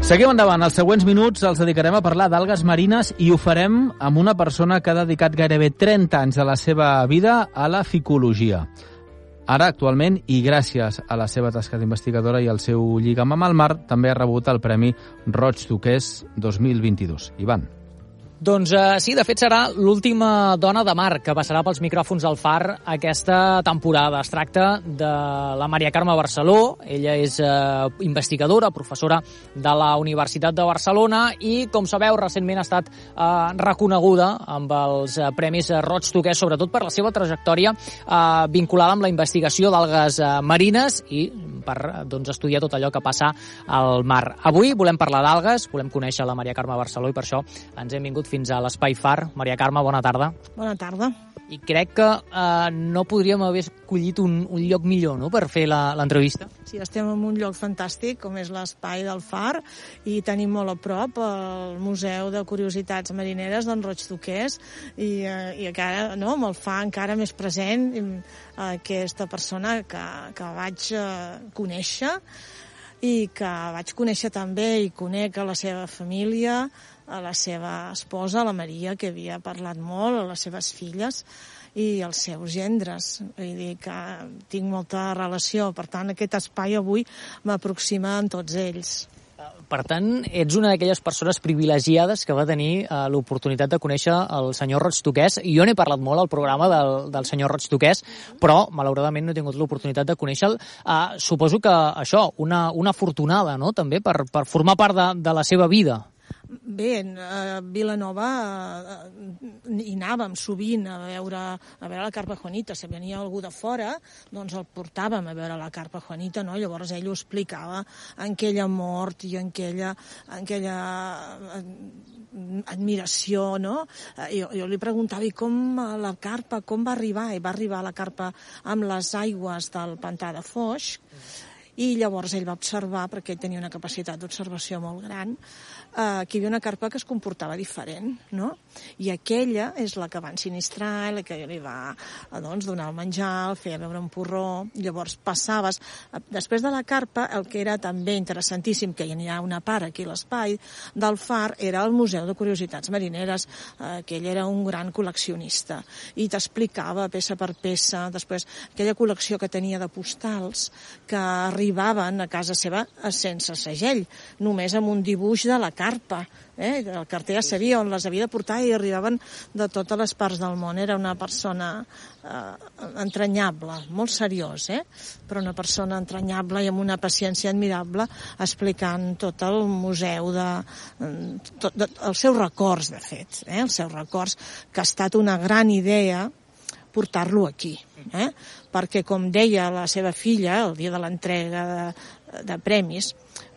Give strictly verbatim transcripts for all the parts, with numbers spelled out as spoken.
Seguim endavant. Els següents minuts els dedicarem a parlar d'algues marines i ho farem amb una persona que ha dedicat gairebé trenta anys de la seva vida a la ficologia. Ara, actualment, i gràcies a la seva tasca d'investigadora i al seu lligam amb el mar, també ha rebut el Premi Roig Duquès dos mil vint-i-dos. Ivan. Doncs eh, sí, de fet serà l'última dona de mar que passarà pels micròfons del Far aquesta temporada. Es tracta de la Maria Carme Barceló. Ella és eh, investigadora, professora de la Universitat de Barcelona i, com sabeu, recentment ha estat eh, reconeguda amb els eh, Premis Roig Duquès, sobretot per la seva trajectòria eh, vinculada amb la investigació d'algues eh, marines i per doncs, estudiar tot allò que passa al mar. Avui volem parlar d'algues, volem conèixer la Maria Carme Barceló i per això ens hem vingut fins a l'Espai Far. Maria Carme, bona tarda. Bona tarda. I crec que eh, no podríem haver escollit un, un lloc millor, no?, per fer l'entrevista. Sí, estem en un lloc fantàstic, com és l'Espai del Far, i tenim molt a prop el Museu de Curiositats Marineres d'en Roig Duquès, i, eh, i encara, no?, me'l fa encara més present eh, aquesta persona que, que vaig eh, conèixer, i que vaig conèixer també i conec a la seva família, a la seva esposa, la Maria, que havia parlat molt, a les seves filles i als seus gendres. Vull dir que tinc molta relació. Per tant, aquest espai avui m'aproxima amb tots ells. Per tant, ets una d'aquelles persones privilegiades que va tenir eh, l'oportunitat de conèixer el senyor Roig Duquès. Jo n'he parlat molt al programa del, del senyor Roig Duquès, però malauradament no he tingut l'oportunitat de conèixer-lo. Eh, suposo que això, una, una afortunada, no?, també per, per formar part de, de la seva vida. Bé, a Vilanova eh, hi anàvem sovint a veure, a veure la carpa Juanita. Si venia algú de fora, doncs el portàvem a veure la carpa Juanita, no? Llavors ell ho explicava en aquella mort i en aquella, en aquella admiració, no? Jo, jo li preguntava, i com la carpa, com va arribar? I va arribar la carpa amb les aigües del pantà de Foix, i llavors ell va observar, perquè ell tenia una capacitat d'observació molt gran, eh, que hi havia una carpa que es comportava diferent, no? I aquella és la que va ensinistrar, la que li va eh, doncs, donar el menjar, el feia beure un porró, llavors passaves. Després de la carpa, el que era també interessantíssim, que hi ha una part aquí a l'espai del Far, era el Museu de Curiositats Marineres, eh, que ell era un gran col·leccionista, i t'explicava peça per peça, després aquella col·lecció que tenia de postals, que arribaven a casa seva sense segell, només amb un dibuix de la carpa. Eh? El carter ja sabia on les havia de portar i arribaven de totes les parts del món. Era una persona eh, entranyable, molt seriós, eh? però una persona entranyable i amb una paciència admirable, explicant tot el museu, de, tot, de, els seus records, de fet, eh? els seus records, que ha estat una gran idea portar-lo aquí, eh? perquè, com deia la seva filla el dia de l'entrega de, de premis,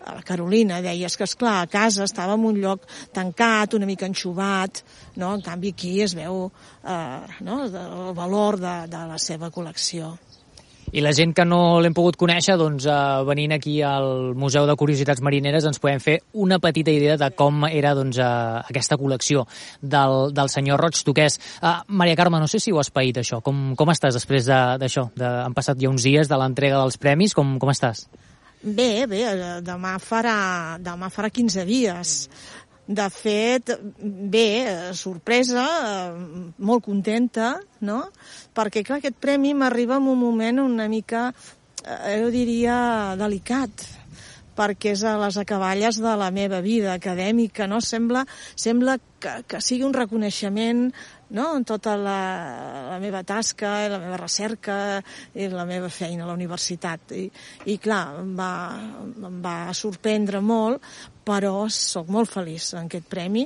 a la Carolina, deies que, esclar, a casa estava en un lloc tancat, una mica enxuvat, no? En canvi aquí es veu eh, no? el valor de, de la seva col·lecció. I la gent que no l'hem pogut conèixer, doncs eh, venint aquí al Museu de Curiositats Marineres ens podem fer una petita idea de com era doncs, eh, aquesta col·lecció del, del senyor Roig Duquès. Eh, Maria Carme, no sé si ho has paït, això. Com, com estàs després d'això? De, de, han passat ja uns dies de l'entrega dels premis. Com, com estàs? Bé, bé, demà farà, demà farà quinze dies. De fet, bé, sorpresa, molt contenta, no? Perquè, clar, aquest premi m'arriba en un moment una mica, jo diria, delicat, perquè és a les acaballes de la meva vida acadèmica, no? Sembla, sembla que, que sigui un reconeixement, no?, en tota la, la meva tasca, la meva recerca i la meva feina a la universitat. I, i clar, em va, em va sorprendre molt, però sóc molt feliç en aquest premi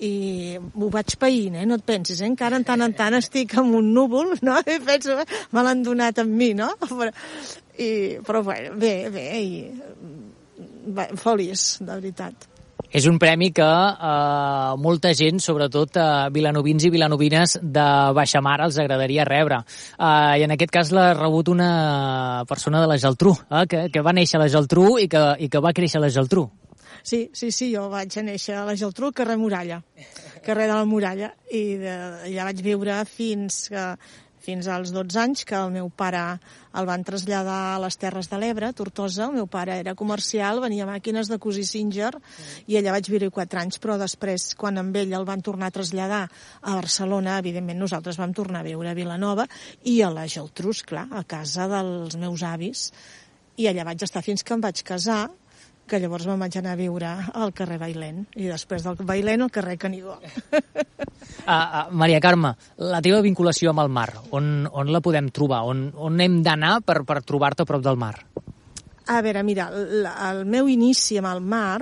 i m'ho vaig païnt, eh? No et pensis, eh? Encara en tant en tant estic amb un núvol, no? I penso, me l'han donat amb mi, no? Però, i, però bueno, bé, bé, i bé, feliç, de veritat. És un premi que eh, molta gent, sobretot eh, vilanovins i vilanovines de baixamar, els agradaria rebre. Eh, I en aquest cas l'ha rebut una persona de la Geltrú, eh, que, que va néixer a la Geltrú i que, i que va créixer a la Geltrú. Sí, sí, sí, jo vaig néixer a la Geltrú, carrer Muralla, carrer de la Muralla, i de, allà vaig viure fins que fins als dotze anys, que el meu pare el van traslladar a les Terres de l'Ebre, Tortosa. El meu pare era comercial, venia màquines de cosir Singer, i allà vaig viure quatre anys, però després, quan amb ell el van tornar a traslladar a Barcelona, evidentment nosaltres vam tornar a viure a Vilanova, i a la Geltrú, clar, a casa dels meus avis, i allà vaig estar fins que em vaig casar, que llavors me'n vaig anar a viure al carrer Bailén, i després del Bailén al carrer Canigó. Uh, uh, Maria Carme, la teva vinculació amb el mar, on, on la podem trobar? On, on hem d'anar per, per trobar-te a prop del mar? A veure, mira, el, el meu inici amb el mar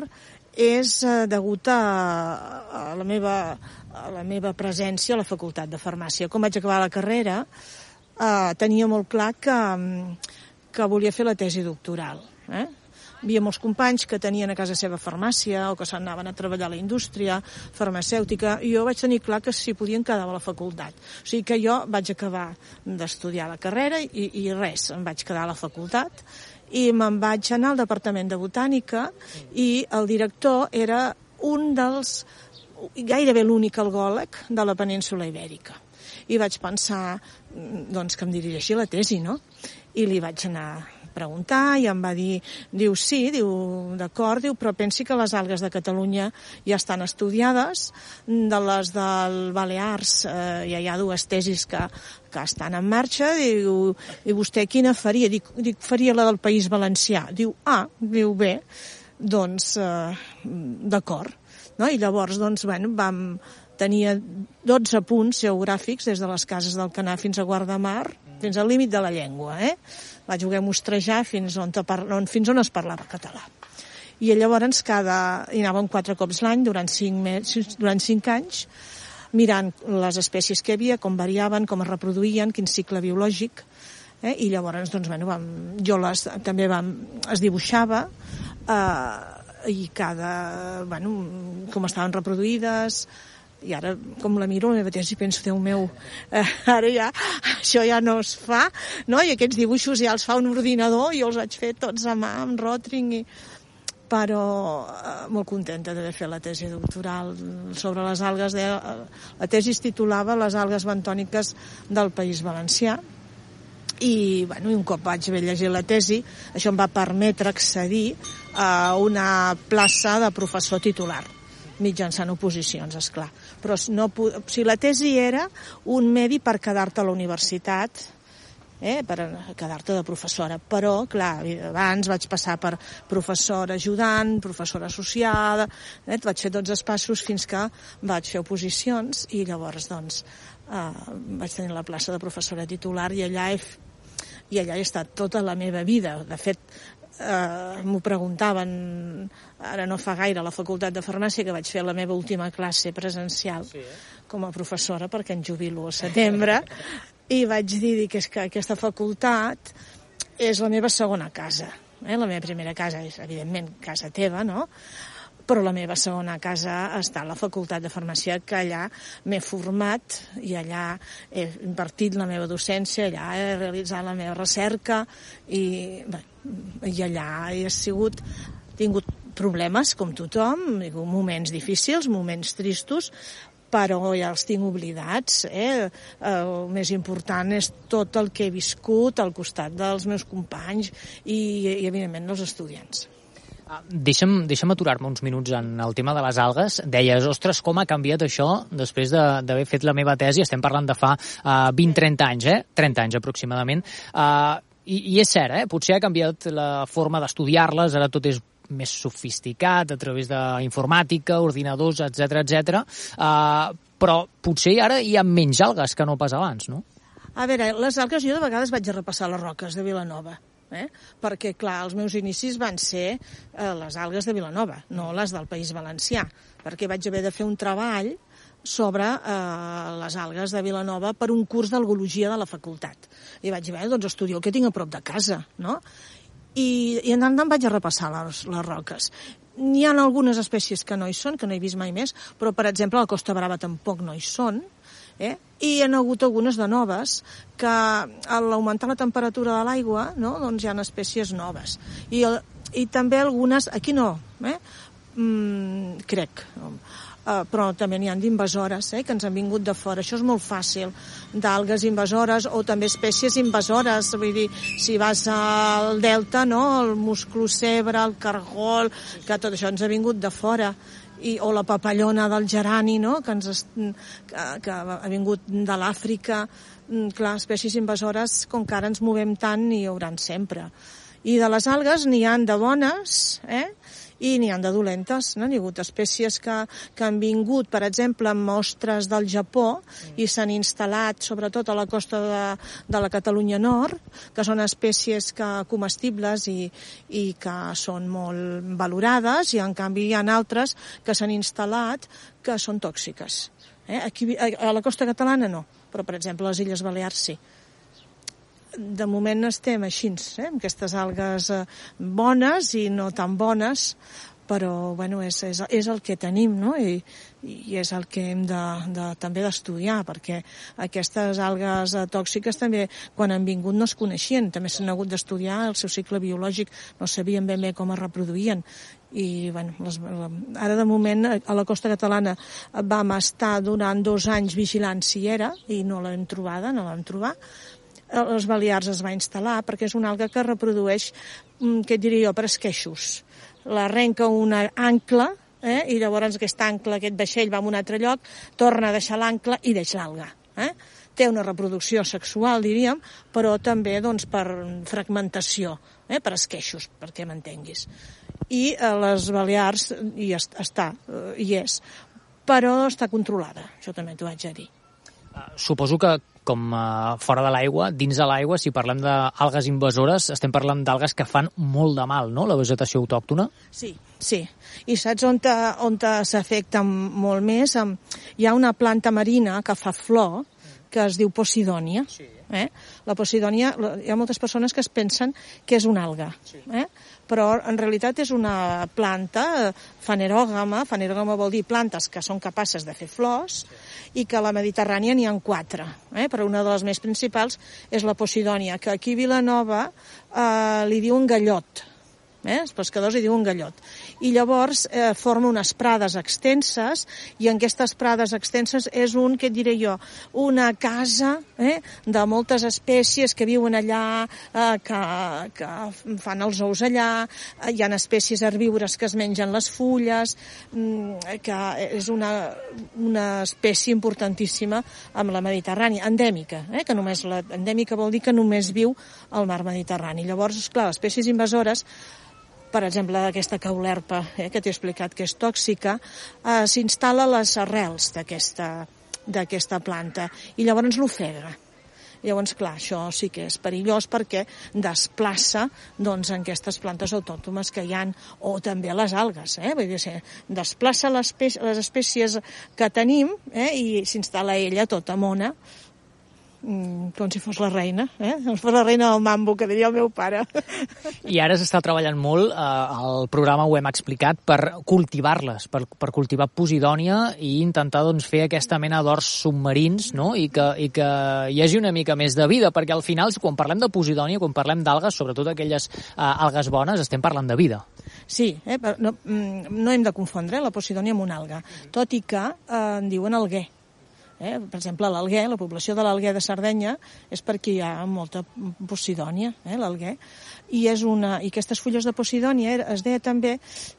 és eh, degut a, a, la meva, a la meva presència a la Facultat de Farmàcia. Com vaig acabar la carrera, eh, tenia molt clar que, que volia fer la tesi doctoral, eh? Hi havia molts companys que tenien a casa seva farmàcia o que s'anaven a treballar a la indústria farmacèutica, i jo vaig tenir clar que s'hi podien quedar a la facultat. O sigui que jo vaig acabar d'estudiar la carrera i, i res, em vaig quedar a la facultat i me'n vaig anar al Departament de Botànica, i el director era un dels, gairebé l'únic algòleg de la península Ibèrica. I vaig pensar doncs, que em dirigia la tesi, no? I li vaig anar preguntar i em va dir, diu sí, diu d'acord, diu, però pensi que les algues de Catalunya ja estan estudiades, de les del Balears eh, ja hi ha dues tesis que, que estan en marxa, diu, i vostè quina faria? Dic, dic, faria la del País Valencià. Diu, ah, diu, bé, doncs eh, d'acord. No? I llavors, doncs, bueno, vam tenia dotze punts geogràfics des de les Cases d'Alcanar fins a Guardamar, fins al límit de la llengua, eh? Vaig voler mostrejar fins on, on, fins on es parlava català. I llavors cada, hi anàvem quatre cops l'any durant cinc, mesos, durant cinc anys, mirant les espècies que hi havia, com variaven, com es reproduïen, quin cicle biològic, eh? I llavors doncs, bueno, vam, jo les, també vam, es dibuixava, eh, i cada, bueno, com estaven reproduïdes. I ara, com la miro, la meva tesi, penso, Déu meu, eh, ara ja, això ja no es fa, no? I aquests dibuixos ja els fa un ordinador, i jo els vaig fer tots a mà, amb Rotring, i... però eh, molt contenta d'haver fet la tesi doctoral sobre les algues. De... La tesi es titulava Les algues bentòniques del País Valencià, i, bueno, i un cop vaig haver llegit la tesi, això em va permetre accedir a una plaça de professor titular, mitjançant oposicions, esclar. Però no, o sigui, la tesi era un medi per quedar-te a la universitat, eh, per quedar-te de professora. Però, clar, abans vaig passar per professora ajudant, professora associada, eh, vaig fer tots els passos fins que vaig fer oposicions, i llavors, doncs, eh, vaig tenir la plaça de professora titular, i allà he, i allà he estat tota la meva vida. De fet, Uh, m'ho preguntaven ara no fa gaire a la Facultat de Farmàcia, que vaig fer la meva última classe presencial, sí, eh? Com a professora, perquè em jubilo al setembre, i vaig dir que és que aquesta facultat és la meva segona casa, eh? La meva primera casa és, evidentment, casa teva, no? Però la meva segona casa està a la Facultat de Farmàcia, que allà m'he format i allà he impartit la meva docència, allà he realitzat la meva recerca, i, bé, i allà he sigut, tingut problemes com tothom, moments difícils, moments tristos, però ja els tinc oblidats, eh? El més important és tot el que he viscut al costat dels meus companys i, i evidentment, dels estudiants. Deixa'm, deixa'm aturar-me uns minuts en el tema de les algues. Deies, ostres, com ha canviat això després d'haver fet la meva tesi? Estem parlant de fa uh, vint trenta anys, eh? trenta anys aproximadament. Uh, i, I és cert, eh? Potser ha canviat la forma d'estudiar-les, ara tot és més sofisticat a través d'informàtica, ordinadors, etcètera, etcètera. Uh, però potser ara hi ha menys algues que no pas abans, no? A veure, les algues, jo de vegades vaig a repassar les roques de Vilanova. Eh? Perquè, clar, els meus inicis van ser eh, les algues de Vilanova, no les del País Valencià, perquè vaig haver de fer un treball sobre eh, les algues de Vilanova per un curs d'algologia de la facultat. I vaig dir, doncs estudio el que tinc a prop de casa, no? I, i anant vaig a repassar les, les roques. N'hi ha algunes espècies que no hi són, que no he vist mai més, però, per exemple, a la Costa Brava tampoc no hi són, eh? I hi ha hagut algunes de noves que a l'augmentar la temperatura de l'aigua, no? Doncs hi ha espècies noves. I, el, i també algunes, aquí no, eh? mm, crec, Uh, però també n'hi ha d'invasores, eh, que ens han vingut de fora. Això és molt fàcil, d'algues invasores o també espècies invasores. Vull dir, si vas al delta, no?, el musclocebre, el cargol, que tot això ens ha vingut de fora. I, o la papallona del gerani, no?, que, ens, que, que ha vingut de l'Àfrica. Clar, espècies invasores, com que ara ens movem tant, n'hi hauran sempre. I de les algues n'hi han de bones, eh?, i n'hi ha de dolentes, no? N'hi ha hagut espècies que, que han vingut, per exemple, amb mostres del Japó i s'han instal·lat, sobretot a la costa de, de la Catalunya Nord, que són espècies que, comestibles i, i que són molt valorades, i en canvi hi ha altres que s'han instal·lat que són tòxiques. Eh? Aquí, a la costa catalana no, però, per exemple, a les Illes Balears sí. De moment estem així, eh, amb aquestes algues bones i no tan bones, però bueno, és, és, és el que tenim, no? I, i és el que hem de, de, també d'estudiar, perquè aquestes algues tòxiques també, quan han vingut, no es coneixien, també s'han hagut d'estudiar el seu cicle biològic, no sabien ben bé com es reproduïen. I bueno, les, ara de moment a la costa catalana vam estar durant dos anys vigilant si era, i no l'hem trobada, no l'hem trobat. Les Balears es va instal·lar perquè és una alga que reprodueix, què et diria jo, per esqueixos. La arrenca una ancla, eh, i llavors aquest ancla, aquest vaixell va a un altre lloc, torna a deixar l'ancla i deixa l'alga. Eh? Té una reproducció sexual, diríem, però també doncs, per fragmentació, eh, per esqueixos, perquè m'entenguis. I a les Balears hi està, hi és, però està controlada, això també t'ho haig de dir. Suposo que, com uh, fora de l'aigua, dins de l'aigua, si parlem d'algues invasores, estem parlant d'algues que fan molt de mal, no?, la vegetació autòctona? Sí, sí. I saps on, te, on te s'afecta molt més? Hi ha una planta marina que fa flor, que es diu Posidònia. Sí. Eh? La Posidònia, hi ha moltes persones que es pensen que és una alga, sí. eh? Però en realitat és una planta fanerògama. Fanerògama vol dir plantes que són capaces de fer flors, sí. I que a la Mediterrània n'hi ha quatre, eh? Però una de les més principals és la Posidònia, que aquí a Vilanova eh, li diuen gallot. Eh? Els pescadors hi diuen gallot. I llavors eh, forma unes prades extenses, i en aquestes prades extenses és un, què et diré jo, una casa eh, de moltes espècies que viuen allà, eh, que, que fan els ous allà, eh, hi ha espècies herbívores que es mengen les fulles, mm, que és una, una espècie importantíssima amb la Mediterrània, endèmica, eh, que només la endèmica vol dir que només viu al mar Mediterrani. Llavors, esclar, les espècies invasores, per exemple, aquesta caulerpa, eh, que t'he explicat que és tòxica, eh, s'instal·la a les arrels d'aquesta planta i llavors l'ofega. Llavors, clar, això sí que és perillós perquè desplaça doncs, aquestes plantes autòctones que hi ha, o també les algues. Eh? Vull dir, desplaça les, les espècies que tenim eh, i s'instal·la ella tota mona, com si fos la reina, eh? Com si fos la reina del mambo, que diria el meu pare. I ara s'està treballant molt, eh, el programa ho hem explicat, per cultivar-les, per, per cultivar Posidònia i intentar doncs, fer aquesta mena d'horts submarins, no? I, que, i que hi hagi una mica més de vida, perquè al final, quan parlem de Posidònia, quan parlem d'algues, sobretot aquelles eh, algues bones, estem parlant de vida. Sí, eh? no, no hem de confondre la Posidònia amb una alga, tot i que eh, en diuen alguer. Eh? Per exemple, l'alguer, la població de l'alguer de Sardenya és perquè hi ha molta Posidònia, eh? l'alguer, i, és una, i aquestes fulles de Posidònia era, es deia també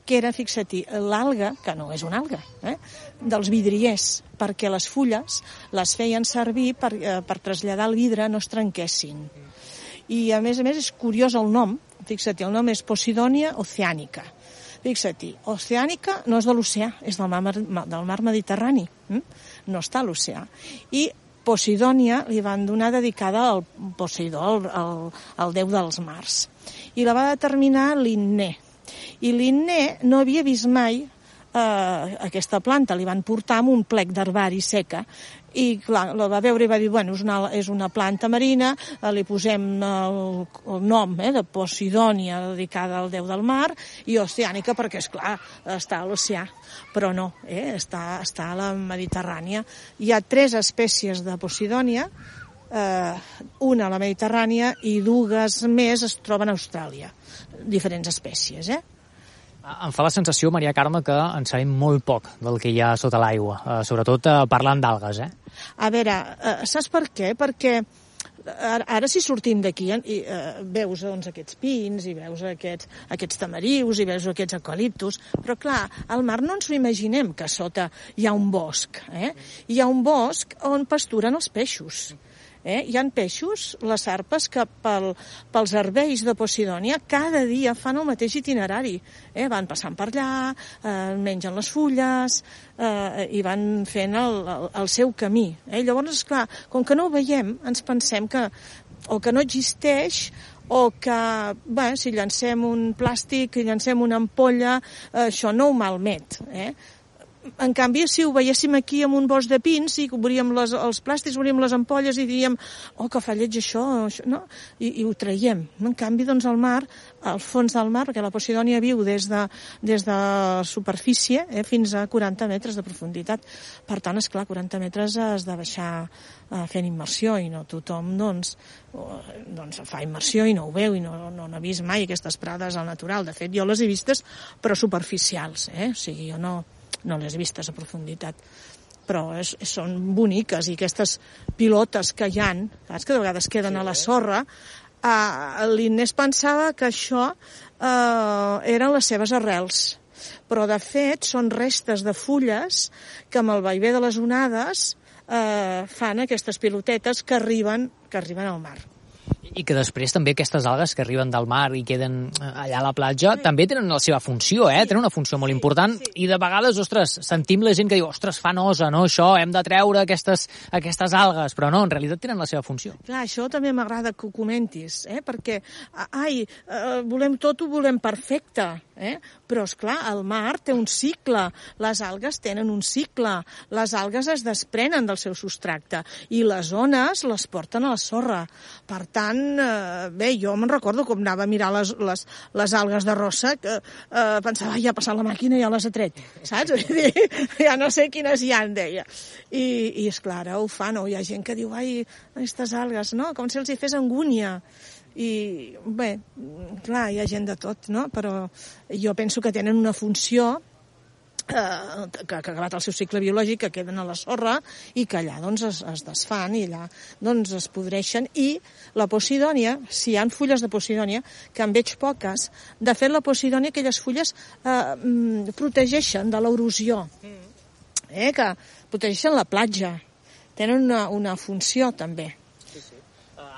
que era, fixa-t'hi, l'alga, que no és una alga, eh? dels vidriers, perquè les fulles les feien servir per, eh, per traslladar el vidre, no es trenquessin. I a més a més és curiós el nom, fixa-t'hi, el nom és Posidònia oceànica. Fixa-t'hi, oceànica no és de l'oceà, és del mar, del mar Mediterrani, hm? No està a l'oceà. I Posidònia li van donar dedicada al Poseidó, al, al, al déu dels mars. I la va determinar Linné. I Linné no havia vist mai eh, aquesta planta, li van portar amb un plec d'herbari seca, i clar, la va veure i va dir, bueno, és una, és una planta marina, eh, li posem el, el nom eh, de Posidònia, dedicada al déu del mar, i oceànica perquè, és clar, està a l'oceà, però no, eh, està, està a la Mediterrània. Hi ha tres espècies de Posidònia, eh, una a la Mediterrània i dues més es troben a Austràlia, diferents espècies, eh? Em fa la sensació, Maria Carme, que en sabem molt poc del que hi ha sota l'aigua, eh, sobretot eh, parlant d'algues, eh? A veure, eh, saps per què? Perquè ara, ara si sortim d'aquí i eh, veus doncs, aquests pins i veus aquests, aquests tamarius i veus aquests eucaliptus, però clar, al mar no ens ho imaginem que sota hi ha un bosc, eh? Hi ha un bosc on pasturen els peixos. Eh? Hi ha peixos, les sarpes, que pel, pels herbeis de Posidònia cada dia fan el mateix itinerari. Eh? Van passant per allà, eh, mengen les fulles eh, i van fent el, el, el seu camí. Eh? Llavors, esclar, com que no ho veiem, ens pensem que o que no existeix o que, bé, si llancem un plàstic, si llancem una ampolla, eh, això no ho malmet, eh? En canvi, si ho veiéssim aquí amb un bosc de pins i obríem les, els plàstics, obríem les ampolles i diríem, oh, que fa lleig això, això no? I, i ho traiem. En canvi, doncs, al mar, al fons del mar, perquè la Posidònia viu des de, des de superfície eh, fins a quaranta metres de profunditat. Per tant, esclar, quaranta metres has de baixar eh, fent immersió i no tothom, doncs, doncs, fa immersió i no ho veu i no, no, no ha vist mai aquestes prades al natural. De fet, jo les he vistes, però superficials, eh? O sigui, jo no... no les vistes a profunditat, però és, són boniques, i aquestes pilotes que hi ha, saps, que de vegades queden a la sorra, eh, l'Inés pensava que això eh, eren les seves arrels, però de fet són restes de fulles que amb el vaivé de les onades eh, fan aquestes pilotetes que arriben, que arriben al mar. I que després també aquestes algues que arriben del mar i queden allà a la platja també tenen la seva funció, eh? Tenen una funció molt important i de vegades, ostres, sentim la gent que diu, ostres, fa nosa, no, això, hem de treure aquestes, aquestes algues, però no, en realitat tenen la seva funció. Clar, això també m'agrada que ho comentis, eh? Perquè, ai, eh, volem tot, ho volem perfecte, eh? Però, esclar, el mar té un cicle, les algues tenen un cicle, les algues es desprenen del seu substracte i les ones les porten a la sorra. Per tant, eh, bé, jo me'n recordo com anava a mirar les, les, les algues de rossa, que eh, pensava, ja ha passat la màquina i ja les ha tret, saps? Ja no sé quines hi ha, deia. I, i esclar, ara ho fan, no? Hi ha gent que diu, ai, aquestes algues, no? Com si els hi fes angúnia. I, bé, clar, hi ha gent de tot, no? Però jo penso que tenen una funció eh, que, que ha acabat el seu cicle biològic, que queden a la sorra i que allà doncs es, es desfan i allà doncs es podreixen. I la Posidònia, si hi ha fulles de Posidònia, que en veig poques, de fet la Posidònia, aquelles fulles eh, protegeixen de l'erosió, eh, que protegeixen la platja, tenen una, una funció també.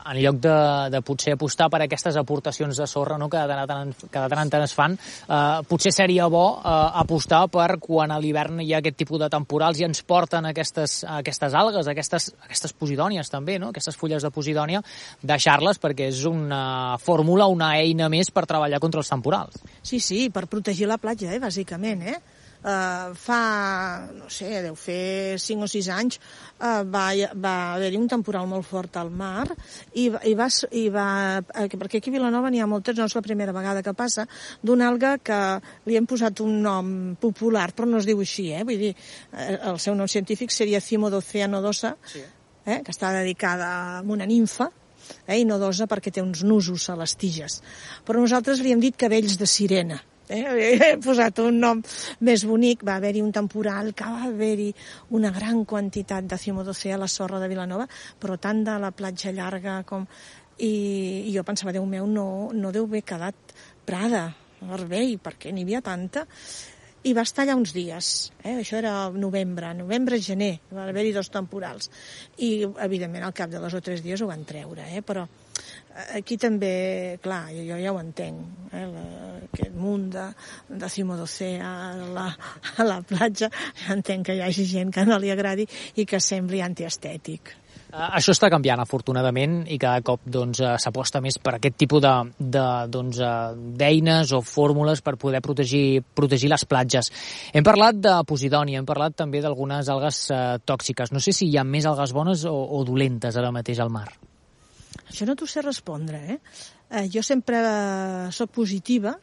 En lloc de, de potser apostar per aquestes aportacions de sorra, no, que de tant, que de tant en tant es fan, eh, potser seria bo eh, apostar per quan a l'hivern hi ha aquest tipus de temporals i ens porten aquestes, aquestes algues, aquestes, aquestes posidònies també, no? Aquestes fulles de posidònia, deixar-les perquè és una fórmula, una eina més per treballar contra els temporals. Sí, sí, per protegir la platja, eh, bàsicament, eh? Uh, fa, no sé, deu fer cinc o sis anys, uh, va, va haver-hi un temporal molt fort al mar i, i, va, i va, perquè aquí a Vilanova n'hi ha moltes, no és la primera vegada que passa, d'una alga que li hem posat un nom popular, però no es diu així, eh? Vull dir, el seu nom científic seria Cimodocea nodosa, sí. eh? Que està dedicada a una nimfa, eh? I nodosa perquè té uns nusos a les tiges. Però nosaltres li hem dit cabells de sirena. Eh, he posat un nom més bonic. Va haver-hi un temporal que va haver-hi una gran quantitat de Cimodocea a la sorra de Vilanova, però tant de la platja llarga com... I, i jo pensava, Déu meu, no, no deu haver quedat prada, herbei, perquè n'hi havia tanta. I va estar allà uns dies, eh? Això era novembre, novembre, gener, va haver-hi dos temporals. I, evidentment, al cap de dos o tres dies ho van treure, eh? Però aquí també, clar, jo, jo ja ho entenc, eh? La, aquest munt de, de Cimodocea a la, a la platja, ja entenc que hi hagi gent que no li agradi i que sembli antiestètic. Uh, això està canviant, afortunadament, i cada cop doncs, uh, s'aposta més per aquest tipus de, de, doncs, uh, d'eines o fórmules per poder protegir, protegir les platges. Hem parlat de posidònia, hem parlat també d'algunes algues uh, tòxiques. No sé si hi ha més algues bones o, o dolentes ara mateix al mar. Això no t'ho sé respondre, eh? eh jo sempre eh, soc positiva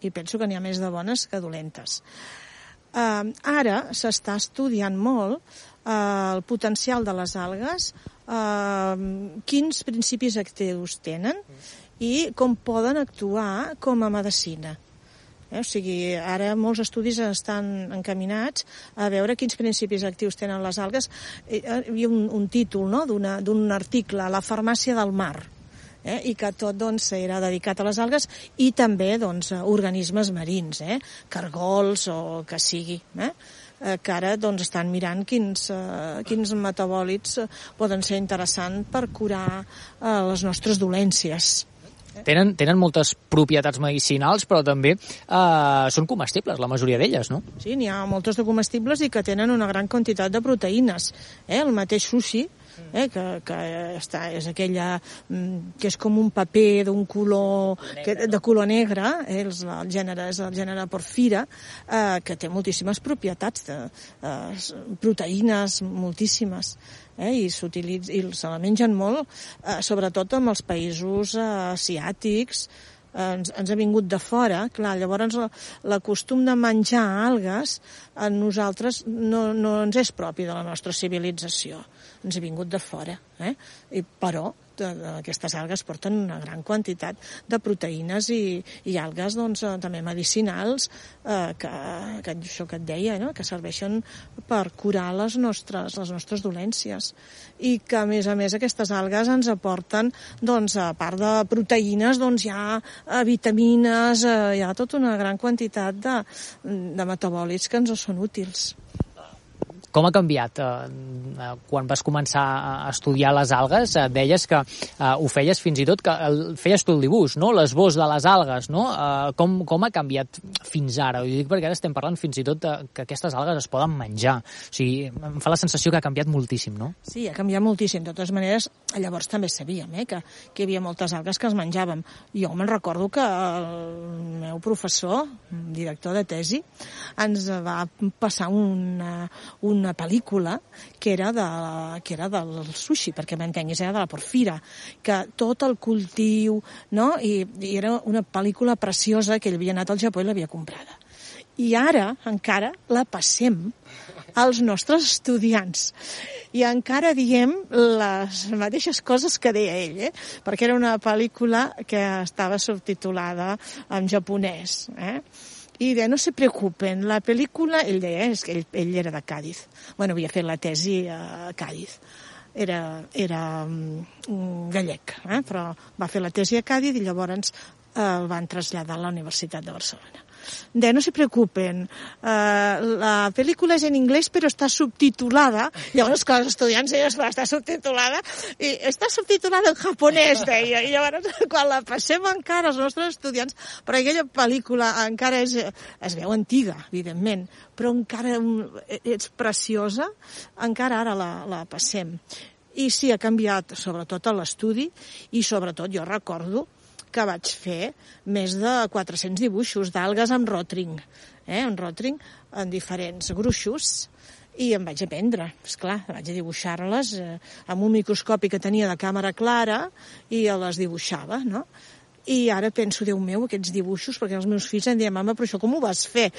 i penso que n'hi ha més de bones que dolentes. Eh, ara s'està estudiant molt eh, el potencial de les algues, eh, quins principis actius tenen i com poden actuar com a medicina. Eh? O sigui, ara molts estudis estan encaminats a veure quins principis actius tenen les algues. Hi havia un, un títol, no?, d'un article, La farmàcia del mar, eh? I que tot doncs, era dedicat a les algues i també doncs, a organismes marins, eh? Cargols o que sigui, eh? que ara doncs, estan mirant quins, uh, quins metabòlits poden ser interessants per curar uh, les nostres dolències. Tenen, tenen moltes propietats medicinals, però també eh, són comestibles, la majoria d'elles, no? Sí, n'hi ha moltes de comestibles i que tenen una gran quantitat de proteïnes. Eh? El mateix sushi, eh? que, que està, és aquella que és com un paper d'un color que, de color negre, eh? el, el gènere és el gènere Porphyra, eh, que té moltíssimes propietats, de, eh, proteïnes moltíssimes. Eh, i s'utilitza i se la mengen molt, eh, sobretot en els països eh, asiàtics, eh, ens, ens ha vingut de fora, clar, llavors la, la costum de menjar algues a nosaltres no, no ens és propi de la nostra civilització, ens ha vingut de fora, eh? I, però de, de, aquestes algues porten una gran quantitat de proteïnes i, i algues doncs, també medicinals eh, que, que això que et deia, no?, que serveixen per curar les nostres, les nostres dolències i que a més a més aquestes algues ens aporten doncs, a part de proteïnes doncs, hi ha eh, vitamines, eh, hi ha tota una gran quantitat de, de metabòlits que ens són útils. Com ha canviat? Eh, quan vas començar a estudiar les algues, eh, deies que eh, ho feies fins i tot, que el, feies tu el dibuix, no?, l'esbós de les algues, no? Eh, com, com ha canviat fins ara? Ho dic perquè ara estem parlant fins i tot de, que aquestes algues es poden menjar. O sigui, em fa la sensació que ha canviat moltíssim, no? Sí, ha canviat moltíssim. De totes maneres, llavors també sabíem eh, que, que hi havia moltes algues que es menjàvem. Jo me'n recordo que el meu professor, director de tesi, ens va passar una, una una pel·lícula que era, de, que era del sushi, perquè m'entenguis, era de la Porphyra, que tot el cultiu, no?, I, i era una pel·lícula preciosa que ell havia anat al Japó i l'havia comprada. I ara encara la passem als nostres estudiants. I encara diem les mateixes coses que deia ell, eh? Perquè era una pel·lícula que estava subtitulada en japonès, eh? I deia, no se preocupen, la pel·lícula, ell deia, és que ell, ell era de Càdiz, bueno, havia fet la tesi a Càdiz, era, era um, gallec, eh? Però va fer la tesi a Càdiz i llavors eh, el van traslladar a la Universitat de Barcelona. De no se preocupen, uh, la pel·lícula és en anglès però està subtitulada, llavors que els estudiants deien, està subtitulada, i està subtitulada en japonès, deia, i llavors quan la passem encara als nostres estudiants, però aquella pel·lícula encara és, es veu antiga, evidentment, però encara és preciosa, encara ara la, la passem. I sí, ha canviat sobretot a l'estudi, i sobretot jo recordo que vaig fer més de quatre-cents dibuixos d'algues amb rotring, eh, amb rotring en diferents gruixos, i em vaig aprendre, esclar, vaig a dibuixar-les eh, amb un microscopi que tenia de càmera clara i les dibuixava, no? I ara penso, Déu meu, aquests dibuixos, perquè els meus fills em diuen, mama, però això com ho vas fer?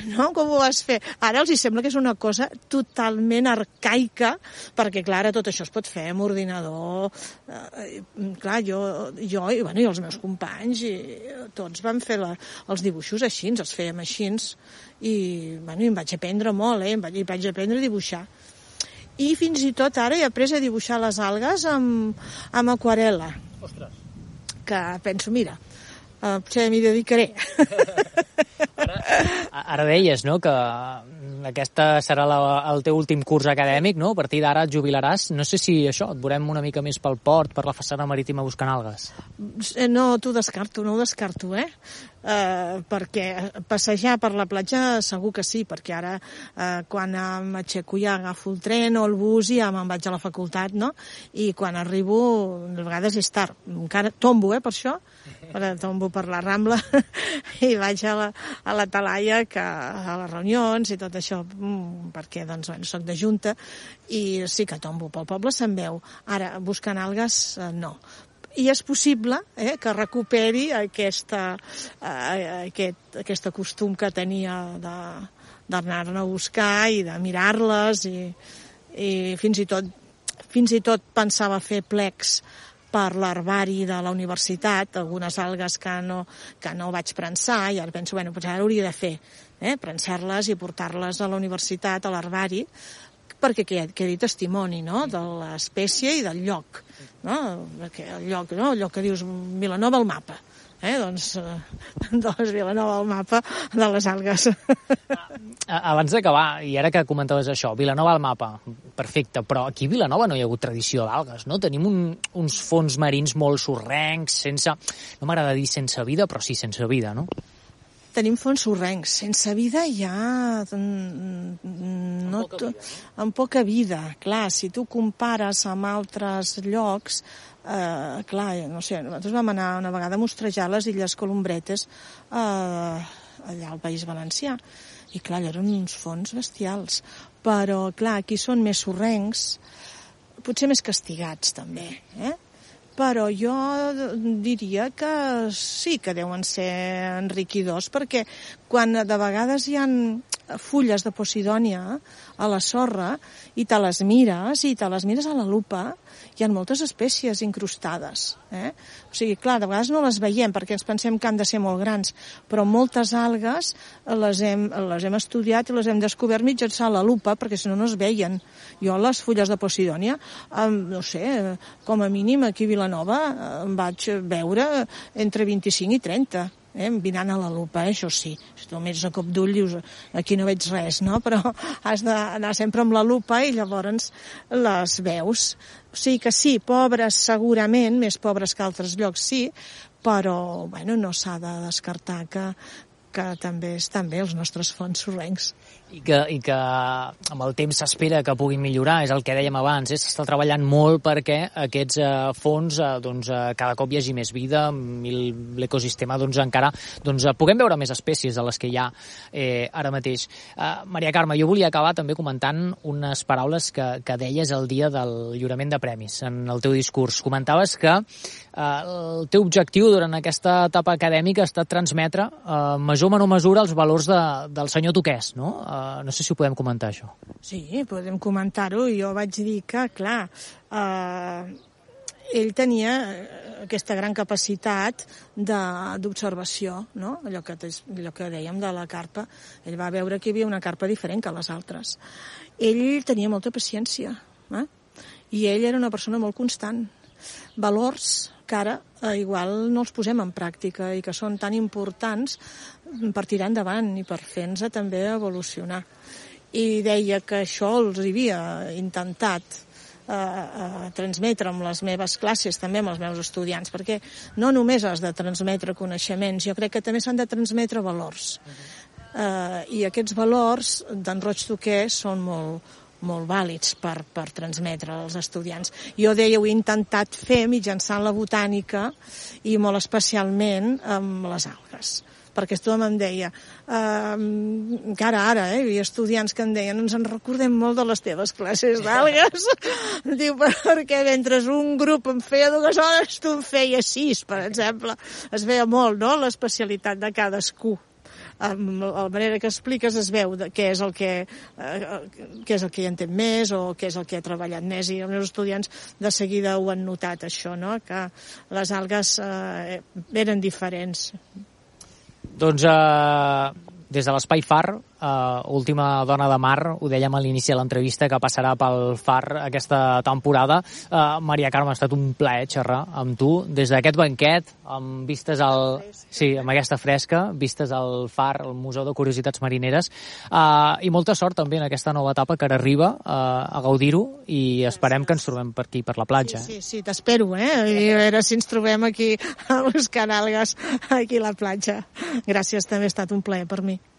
No, com ho vas fer? Ara els hi sembla que és una cosa totalment arcaica, perquè, clar, ara tot això es pot fer amb ordinador. Eh, clar, jo, jo i, bueno, i els meus companys, i tots vam fer la, els dibuixos així, els fèiem així, i, bueno, i em vaig aprendre molt, eh? Em vaig, vaig aprendre a dibuixar. I fins i tot ara he après a dibuixar les algues amb, amb aquarel·la. Ostres! Que penso, mira, uh, potser m'hi dedicaré. Ara, ara deies, no?, que aquesta serà la, el teu últim curs acadèmic, no? A partir d'ara et jubilaràs. No sé si això, et veurem una mica més pel port, per la façana marítima buscant algues. No, t'ho descarto, no ho descarto, eh? Uh, perquè passejar per la platja segur que sí, perquè ara uh, quan m'aixeco ja agafo el tren o el bus i ja me'n vaig a la facultat, no? I quan arribo, de vegades és tard, encara tombo, eh, per això, tombo per la Rambla i vaig a la, a la Talaia, que, a les reunions i tot això, perquè doncs, bueno, soc de junta i sí que tombo pel poble, se'n veu. Ara, buscant algues, uh, no. I és possible eh, que recuperi aquesta, eh, aquest, aquesta costum que tenia d'anar-ne a buscar i de mirar-les i, i fins i tot fins i tot pensava fer plecs per l'herbari de la universitat, algunes algues que no, que no vaig prensar, i ara penso, bueno, doncs ara hauria de fer, eh, prensar-les i portar-les a la universitat, a l'herbari, perquè quedi testimoni, no?, de l'espècie i del lloc, no?, perquè el lloc, no?, el lloc que dius Vilanova al mapa, eh, doncs, doncs Vilanova al mapa de les algues. Abans d'acabar, i ara que comentaves això, Vilanova al mapa, perfecte, però aquí a Vilanova no hi ha hagut tradició d'algues, no? Tenim un, uns fons marins molt sorrencs, sense, no m'agrada dir sense vida, però sí sense vida, no? Tenim fons sorrencs. Sense vida hi ha... No, amb, poca vida, no? Amb poca vida. Clar, si tu compares amb altres llocs, eh, clar, no sé, nosaltres vam anar una vegada a mostrejar les Illes Columbretes eh, allà al País Valencià, i clar, allò eren uns fons bestials. Però, clar, aquí són més sorrencs, potser més castigats, també, eh? Però jo diria que sí que deuen ser enriquidors, perquè quan de vegades hi ha fulles de posidònia a la sorra i te les mires, i te les mires a la lupa, hi ha moltes espècies incrustades. Eh? O sigui, clar, de vegades no les veiem perquè ens pensem que han de ser molt grans, però moltes algues les hem, les hem estudiat i les hem descobert mitjançant la lupa, perquè si no no es veien. Jo les fulles de posidònia, eh, no sé, com a mínim aquí a Vilanova em vaig veure entre vint-i-cinc i trenta. Eh, mirant a la lupa, eh, això sí. Si tu mires a cop d'ull dius, aquí no veig res, no? Però has d'anar sempre amb la lupa i llavors les veus. O sigui que sí, pobres segurament, més pobres que altres llocs sí, però bueno, no s'ha de descartar que, que també estan bé els nostres fons sorrencs. I que, i que amb el temps s'espera que puguin millorar, és el que dèiem abans, eh? S'està treballant molt perquè aquests eh, fons eh, doncs, eh, cada cop hi hagi més vida i l'ecosistema doncs, encara doncs, puguem veure més espècies de les que hi ha eh, ara mateix. Eh, Maria Carme, jo volia acabar també comentant unes paraules que, que deies el dia del lliurament de premis en el teu discurs. Comentaves que eh, el teu objectiu durant aquesta etapa acadèmica ha estat transmetre eh, major o menor mesura els valors de, del senyor Toqués, no? Uh, no sé si ho podem comentar, això. Sí, podem comentar-ho. Jo vaig dir que, clar, uh, ell tenia aquesta gran capacitat d'observació, no? Allò que, allò que dèiem de la carpa. Ell va veure que hi havia una carpa diferent que les altres. Ell tenia molta paciència, eh? I ell era una persona molt constant. Valors que ara eh, igual no els posem en pràctica i que són tan importants per tirar endavant i per fer-nos també evolucionar. I deia que això els havia intentat eh, eh, transmetre amb les meves classes, també amb els meus estudiants, perquè no només has de transmetre coneixements, jo crec que també s'han de transmetre valors. Eh, I aquests valors d'en Roig Toqués són molt molt vàlids per, per transmetre als estudiants. Jo deia, ho he intentat fer mitjançant la botànica i molt especialment amb les algues. Perquè tothom em deia, eh, encara ara, eh, hi havia estudiants que em deien, ens en recordem molt de les teves classes d'algues. Diu, perquè mentre un grup em feia dues hores, tu en feia sis, per exemple. Es veia molt, no?, l'especialitat de cadascú. Amb la manera que expliques es veu de què és el que eh, què és el que hi entén més o què és el que ha treballat més, i els meus estudiants de seguida ho han notat, això, no?, que les algues eh, eren diferents. Doncs eh, des de l'Espai Far, uh, última dona de mar, ho dèiem a l'inici de l'entrevista, que passarà pel Far aquesta temporada. Uh, Maria Carme, ha estat un plaer xerrar amb tu des d'aquest banquet, amb vistes al... Sí, amb aquesta fresca, vistes al Far, al Museu de Curiositats Marineres, uh, i molta sort també en aquesta nova etapa que ara arriba uh, a gaudir-ho, i esperem que ens trobem per aquí, per la platja. Sí, sí, sí, t'espero, eh? I a veure si ens trobem aquí buscant algues aquí a la platja. Gràcies, també ha estat un plaer per mi.